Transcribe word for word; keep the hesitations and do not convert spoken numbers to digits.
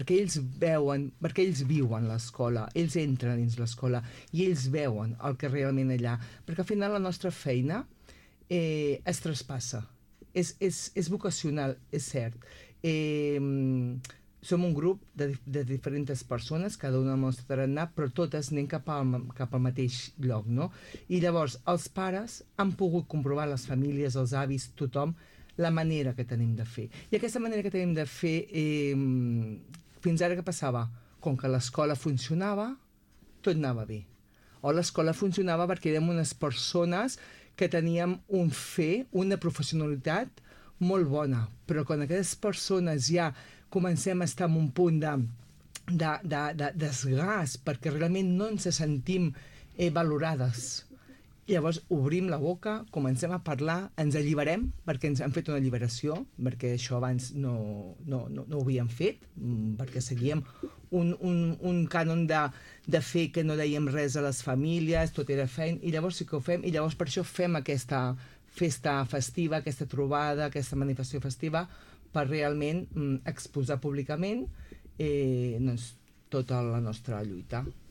perquè ells veuen, perquè ells viuen l'escola, ells entren dins l'escola i ells veuen el que realment allà, perquè al final la nostra feina eh, es traspassa, és, és, és vocacional, és cert. Eh, som un grup de, de diferents persones, cada una amb el nostre tarannà, però totes anem cap al, cap al mateix lloc, no? I llavors els pares han pogut comprovar, les famílies, els avis, tothom, la manera que tenim de fer. I aquesta manera que tenim de fer, eh, fins ara què passava? Com que l'escola funcionava, tot anava bé. O l'escola funcionava perquè érem unes persones que teníem un fer, una professionalitat molt bona, però quan aquestes persones ja comencem a estar en un punt de, de, de, de desgast perquè realment no ens sentim eh, valorades, llavors obrim la boca, comencem a parlar, ens alliberem, perquè ens han fet una alliberació, perquè això abans no, no, no, no ho havíem fet, perquè seguíem un, un, un cànon de, de fer que no dèiem res a les famílies, tot era feina, i llavors sí que ho fem, i llavors per això fem aquesta festa festiva, aquesta trobada, aquesta manifestació festiva, per realment mm, exposar públicament eh, doncs, tota la nostra lluita.